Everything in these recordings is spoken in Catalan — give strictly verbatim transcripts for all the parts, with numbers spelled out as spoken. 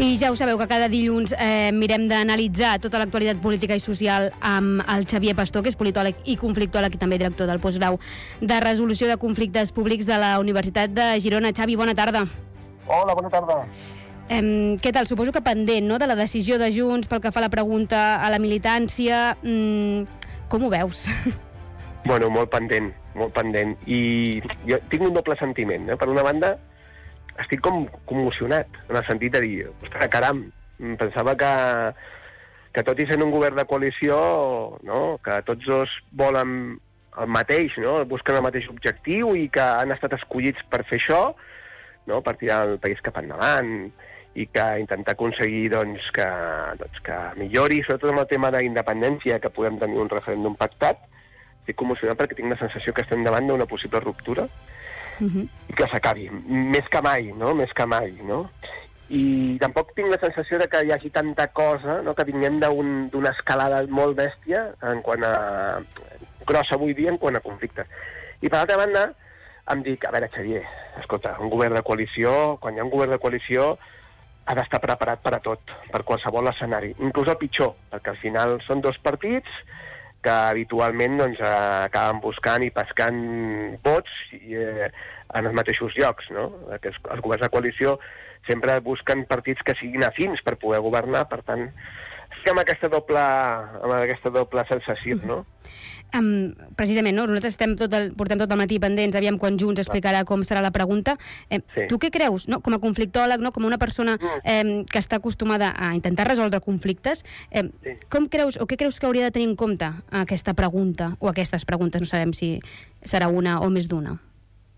I ja ho sabeu que cada dilluns eh, mirem d'analitzar tota l'actualitat política i social amb el Xavier Pastor, que és politòleg i conflictòleg i també director del postgrau de resolució de conflictes públics de la Universitat de Girona. Xavi, bona tarda. Hola, bona tarda. Eh, què tal? Suposo que pendent, no?, de la decisió de Junts pel que fa a la pregunta a la militància. Mm, com ho veus? Bueno, molt pendent, molt pendent. I jo tinc un doble sentiment, eh? Per una banda, estic com commocionat, en el sentit de dir, ostres, caram, pensava que, que tot i sent un govern de coalició, no?, que tots dos volen el mateix, no?, busquen el mateix objectiu i que han estat escollits per fer això, no?, per tirar el país cap endavant i que intentar aconseguir doncs, que, doncs, que millori, sobretot amb el tema d'independència, que podem tenir un referèndum pactat. Estic commocionat perquè tinc la sensació que estem davant d'una possible ruptura. Uh-huh. I que s'acabi, més que mai, no? Més que mai, no? I tampoc tinc la sensació de que hi hagi tanta cosa, no?, que vinguem d'una un, escalada molt bèstia en quant a... grossa avui dia en quant a conflictes. I per l'altra banda, em dic, a veure, Xavier, escolta, un govern de coalició, quan hi ha un govern de coalició, ha d'estar preparat per a tot, per qualsevol escenari, inclús el pitjor, perquè al final són dos partits que habitualment doncs, acaben buscant i pescant vots i, eh, en els mateixos llocs, no? Els, els governs de coalició sempre busquen partits que siguin afins per poder governar, per tant, estic amb aquesta doble, amb aquesta doble sensació, no? Um, precisament, no? Nosaltres estem tot el, portem tot el matí pendents, aviam quan Junts explicarà com serà la pregunta. Eh, sí. Tu què creus, no? Com a conflictòleg, no? Com una persona eh, que està acostumada a intentar resoldre conflictes, eh, sí. com creus, o què creus que hauria de tenir en compte aquesta pregunta, o aquestes preguntes, no sabem si serà una o més d'una?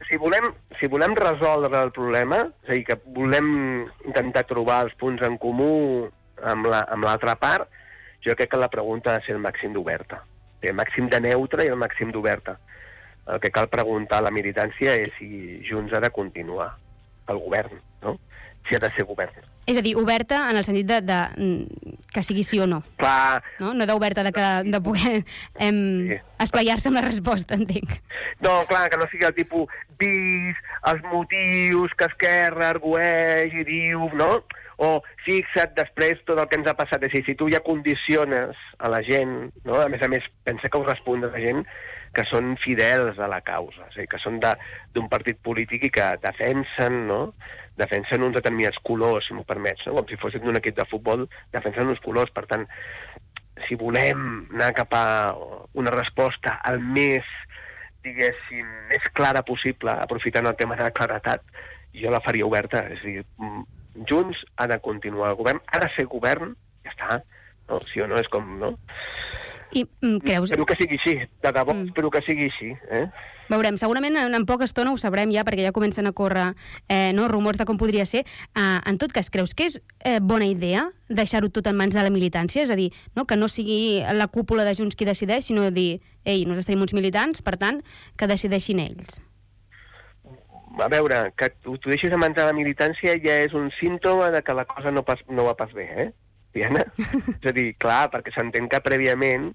Si volem, si volem resoldre el problema, és a dir, que volem intentar trobar els punts en comú amb l'altra la, part, jo crec que la pregunta ha de ser el màxim d'oberta. El màxim de neutre i el màxim d'oberta. El que cal preguntar a la militància és si Junts ha de continuar el govern, no? Si ha de ser govern. És a dir, oberta en el sentit de, de que sigui sí o no. Clar. No, no d'oberta de, que, de poder em, sí. esplayar-se amb la resposta, entenc. No, clar, que no sigui el tipus vis, els motius que Esquerra argueix i diu, no? O fixa't després tot el que ens ha passat. És a dir, si tu ja condiciones a la gent, no? A més a més, pensa que ho respon de la gent que són fidels a la causa, és a dir, que són d'un partit polític i que defensen, no?, defensen uns determinats colors, si m'ho permets, no? Com si fossin d'un equip de futbol, defensen uns colors. Per tant, si volem anar cap a una resposta al més, diguéssim, més clara possible, aprofitant el tema de la claretat, jo la faria oberta. És a dir, Junts ha de continuar el govern, ha de ser govern, ja està, no? Sí o no, és com, no? I mm, creus... Espero que sigui així, de debò, mm. espero que sigui així, eh? Veurem, segurament en, en poca estona ho sabrem ja, perquè ja comencen a córrer eh, no, rumors de com podria ser. Uh, en tot cas, creus que és eh, bona idea deixar-ho tot en mans de la militància? És a dir, no, que no sigui la cúpula de Junts qui decideix, sinó dir, ei, nosaltres tenim uns militants, per tant, que decideixin ells. A veure, que tu, tu deixis de mans de la militància ja és un símptoma de que la cosa no, pas, no va pas bé, eh, Diana? És a dir, clar, perquè s'entén que prèviament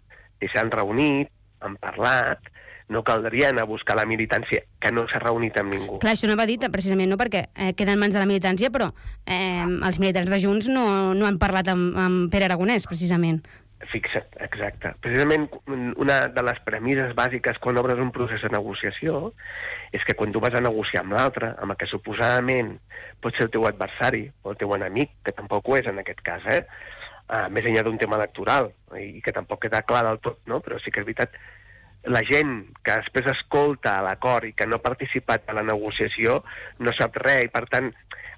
s'han reunit, han parlat, no caldria anar a buscar la militància, que no s'ha reunit amb ningú. Clar, això no va dit precisament, no, perquè eh, queda en mans de la militància, però eh, els militants de Junts no, no han parlat amb, amb Pere Aragonès, precisament. Fixa't, exacte. Precisament una de les premisses bàsiques quan obres un procés de negociació és que quan tu vas a negociar amb l'altre, amb el que suposadament pot ser el teu adversari o el teu enemic, que tampoc ho és en aquest cas, eh? Uh, més enllà d'un tema electoral, i que tampoc queda clar del tot, no? Però sí que és veritat, la gent que després escolta l'acord i que no ha participat a la negociació no sap res, i per tant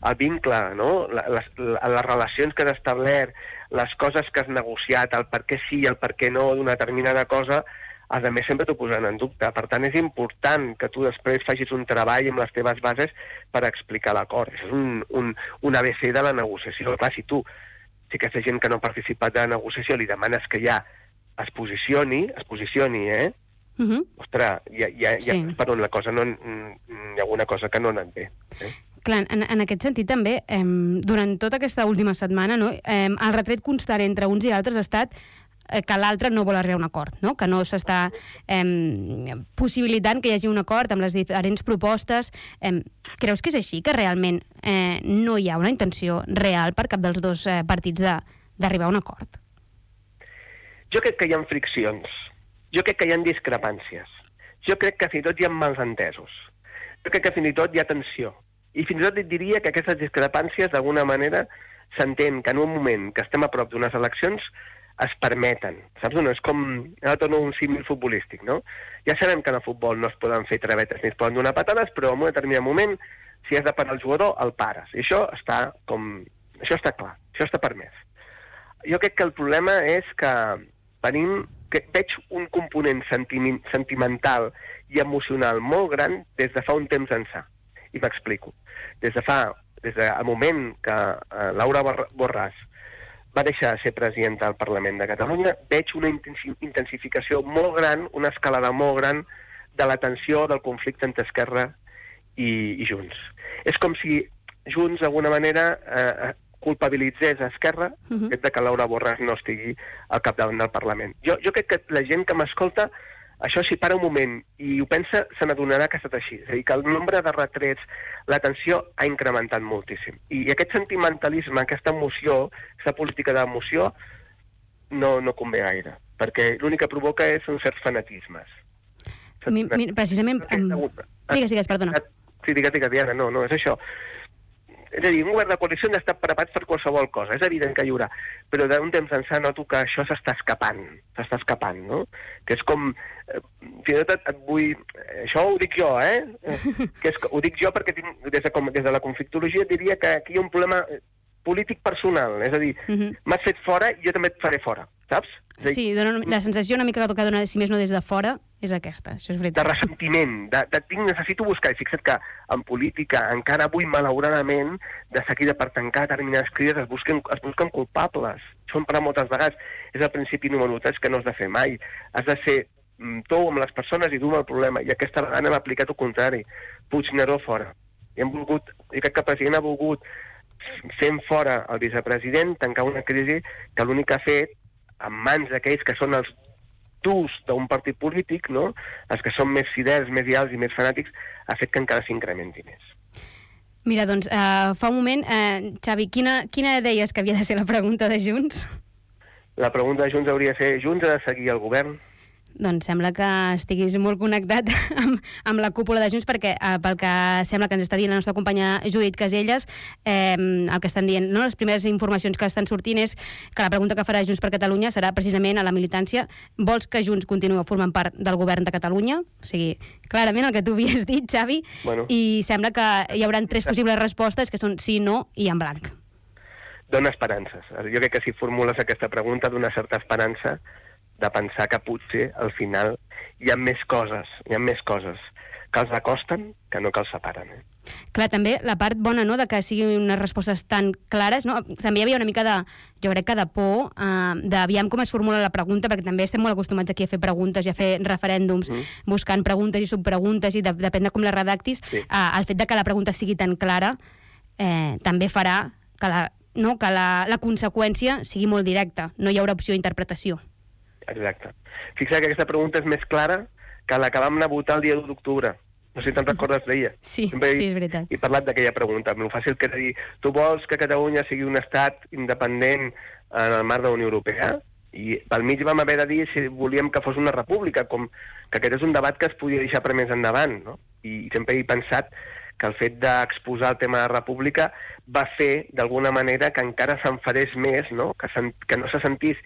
el vincle, no? les, les relacions que has establert, les coses que has negociat, el per què sí i el per què no d'una determinada cosa, els altres sempre t'ho posaran en dubte. Per tant, és important que tu després facis un treball amb les teves bases per explicar l'acord. És un, un, un A B C de la negociació. Clar, si tu, si aquesta gent que no ha participat de la negociació li demanes que ja es posicioni, es posicioni, eh? Uh-huh. Ostres, ja, ja, ja sí. Per on la cosa no... Hi ha alguna cosa que no ha anat bé. Eh? Clar, en, en aquest sentit també, eh, durant tota aquesta última setmana, no, eh, el retret constant entre uns i altres ha estat eh, que l'altre no vol arribar a un acord, no? Que no s'està eh, possibilitant que hi hagi un acord amb les diferents propostes. Eh, creus que és així, que realment eh, no hi ha una intenció real per cap dels dos eh, partits d'arribar a un acord? Jo crec que hi ha friccions, jo crec que hi ha discrepàncies, jo crec que fins i tot hi ha malentesos, jo crec que fins i tot hi ha tensió, i fins i tot et diria que aquestes discrepàncies d'alguna manera s'entén que en un moment que estem a prop d'unes eleccions es permeten, saps? No és com, ara torno un símil futbolístic, no? Ja sabem que en el futbol no es poden fer travetes ni es poden donar patades, però en un determinat moment, si has de parar el jugador, el pares. I això està com... això està clar, això està permès. Jo crec que el problema és que venim, que veig un component sentiment, sentimental i emocional molt gran des de fa un temps ençà. I m'explico. Des de fa, des del moment que eh, Laura Borràs va deixar de ser presidenta del Parlament de Catalunya, veig una intensificació molt gran, una escalada molt gran de la tensió del conflicte entre Esquerra i, i Junts. És com si Junts, d'alguna manera, eh, culpabilitzés a Esquerra uh-huh. de que Laura Borràs no estigui al capdavant del Parlament. Jo, jo crec que la gent que m'escolta, això si para un moment i ho pensa, se n'adonarà que ha estat així. És a dir, que el nombre de retrets, la tensió ha incrementat moltíssim. I aquest sentimentalisme, aquesta emoció, aquesta política d'emoció, no, no convé gaire, perquè l'únic que provoca és uns certs fanatismes. Mi, mi, precisament... Um... Digues, digues, perdona. Sí, digues, digues, Diana, no, no, és això. És a dir, un govern de coalició n'està preparat per qualsevol cosa, és evident que hi haurà, però d'un temps ençà noto que això s'està escapant, s'està escapant, no? Que és com... Eh, fins i tot et vull... Això ho dic jo, eh? Que és, ho dic jo perquè tinc, des, de, com, des de la conflictologia diria que aquí hi ha un problema polític personal, és a dir, uh-huh. m'has fet fora i jo també et faré fora, saps? Dir, sí, dona, la sensació una mica que dona, si més no des de fora, és aquesta, això és veritat. De ressentiment, de, de tinc, necessito buscar, i fixa't que en política encara avui, malauradament, de seguida per tancar determinades crides es busquen, es busquen culpables. Són per a moltes vegades. És el principi número tres que no has de fer mai. Has de ser tou amb les persones i dur amb el problema, i aquesta vegada hem aplicat el contrari. Puigneró fora. I hem volgut, i crec que el president ha volgut fent fora el vicepresident, tancar una crisi que l'únic que ha fet, en mans d'aquells que són els durs d'un partit polític, no? Els que són més fidels, més lleials i més fanàtics, ha fet que encara s'incrementi més. Mira, doncs, uh, fa un moment, uh, Xavi, quina, quina deies que havia de ser la pregunta de Junts? La pregunta de Junts hauria de ser, Junts ha de seguir el govern? Doncs sembla que estiguis molt connectat amb, amb la cúpula de Junts, perquè eh, pel que sembla que ens està dient la nostra companya Judit Caselles, eh, el que estan dient, no? Les primeres informacions que estan sortint és que la pregunta que farà Junts per Catalunya serà precisament a la militància: vols que Junts continuï formant part del govern de Catalunya? O sigui, clarament el que tu havies dit, Xavi, bueno. I sembla que hi haurà tres possibles respostes, que són sí, no i en blanc. Dona esperances. Jo crec que si formules aquesta pregunta dona certa esperança de pensar que potser al final hi ha més coses, hi ha més coses que els acosten que no que els separen. Eh? Clar, també la part bona, no?, de que siguin unes respostes tan clares, no? També hi havia una mica de, jo crec que de por, eh, d'aviam com es formula la pregunta, perquè també estem molt acostumats aquí a fer preguntes i a fer referèndums, mm. buscant preguntes i subpreguntes, i de, depèn de com les redactis, sí. eh, el fet de que la pregunta sigui tan clara eh, també farà que, la, no, que la, la conseqüència sigui molt directa, no hi haurà opció d'interpretació. Exacte. Fixa't que aquesta pregunta és més clara que la que vam anar a votar el dia l'u d'octubre. No sé si te'n recordes d'ella. Sí, Sempre sí, he, és veritat. He parlat d'aquella pregunta. El fàcil que era dir, tu vols que Catalunya sigui un estat independent en el marc de la Unió Europea? I pel mig vam haver de dir si volíem que fos una república, com que aquest és un debat que es podia deixar per més endavant, no? I sempre he pensat que el fet d'exposar el tema de la república va fer, d'alguna manera, que encara s'enfadés més, no? Que, que no se sentís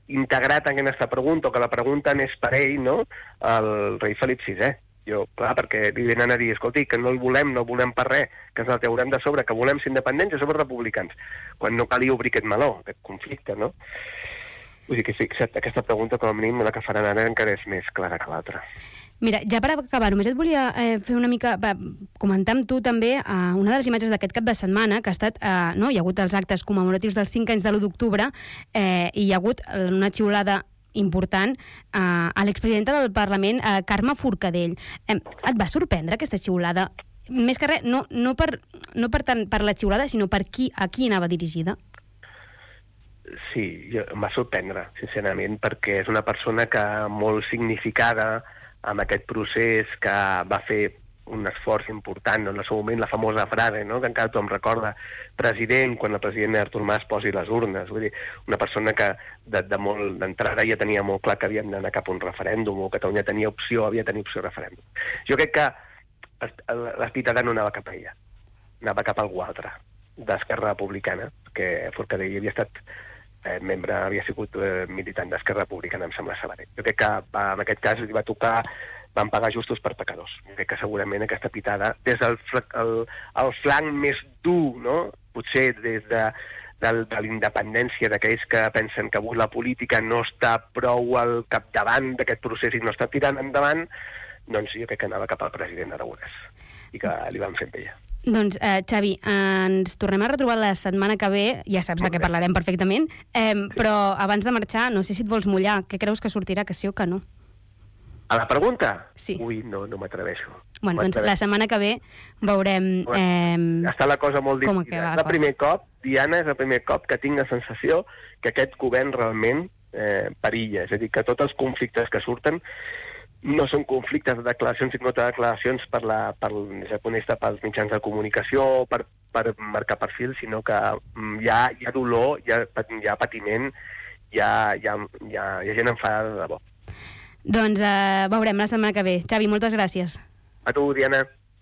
integrat en aquesta pregunta, o que la pregunta n'és per ell, no?, el rei Felip sisè. Jo, clar, perquè li venen a dir, escolti, que no el volem, no el volem per res, que ens la traurem de sobre, que volem ser independents i som republicans, quan no calia obrir aquest meló, aquest conflicte, no? Vull dir que fixa't, aquesta pregunta, com a mínim, la que faran ara encara és més clara que l'altra. Mira, ja per acabar, només et volia eh, fer una mica, va, comentar amb tu també eh, una de les imatges d'aquest cap de setmana, que ha estat, eh, no, hi ha hagut els actes commemoratius dels cinc anys de l'u d'octubre, eh, i hi ha hagut una xiulada important eh, a l'expresidenta del Parlament, eh, Carme Forcadell. Eh, et va sorprendre aquesta xiulada? Més que res, no, no, per, no per, tant per la xiulada, sinó per qui, a qui anava dirigida? Sí, jo, em va sorprendre, sincerament, perquè és una persona que molt significada amb aquest procés, que va fer un esforç important, no? En el seu moment la famosa frase, no? Que encara tothom recorda, president, quan el president Artur Mas posi les urnes. Vull dir, una persona que de, de molt d'entrada ja tenia molt clar que havíem d'anar cap a un referèndum, o Catalunya tenia opció, havia de tenir opció de referèndum. Jo crec que l'espitada no anava cap a ella, anava cap a algú altre, d'Esquerra Republicana, que Forcadell havia estat eh, membre, havia sigut eh, militant d'Esquerra Republicana, em sembla saber. Jo crec que va, en aquest cas li va tocar, van pagar justos per pecadors. Jo crec que segurament aquesta pitada, des del el, el flanc més dur, no? Potser des de, de, de la independència d'aquells que pensen que avui la política no està prou al capdavant d'aquest procés i no està tirant endavant, doncs jo crec que anava cap al president Aragonès i que li van fer amb ella. Doncs, eh, Xavi, eh, ens tornem a retrobar la setmana que ve, ja saps de què parlarem perfectament, eh, sí. Però abans de marxar, no sé si et vols mullar, què creus que sortirà, que sí o que no? A la pregunta? Sí. Ui, no, no m'atreveixo. Bueno, doncs la setmana que ve veurem... Eh, Està la cosa molt difícil. És el primer cop, Diana, és el primer cop que tinc la sensació que aquest govern realment eh, perilla. És a dir, que tots els conflictes que surten no són conflictes de declaracions, sinó de declaracions per la, per, des del punt de vista pels mitjans de comunicació, per, per marcar perfil, sinó que hi ha, hi ha dolor, hi ha, hi ha patiment, hi ha, hi, ha, hi, ha, hi ha gent enfadada de debò. Doncs eh, veurem la setmana que ve. Xavi, moltes gràcies. A tu, Diana.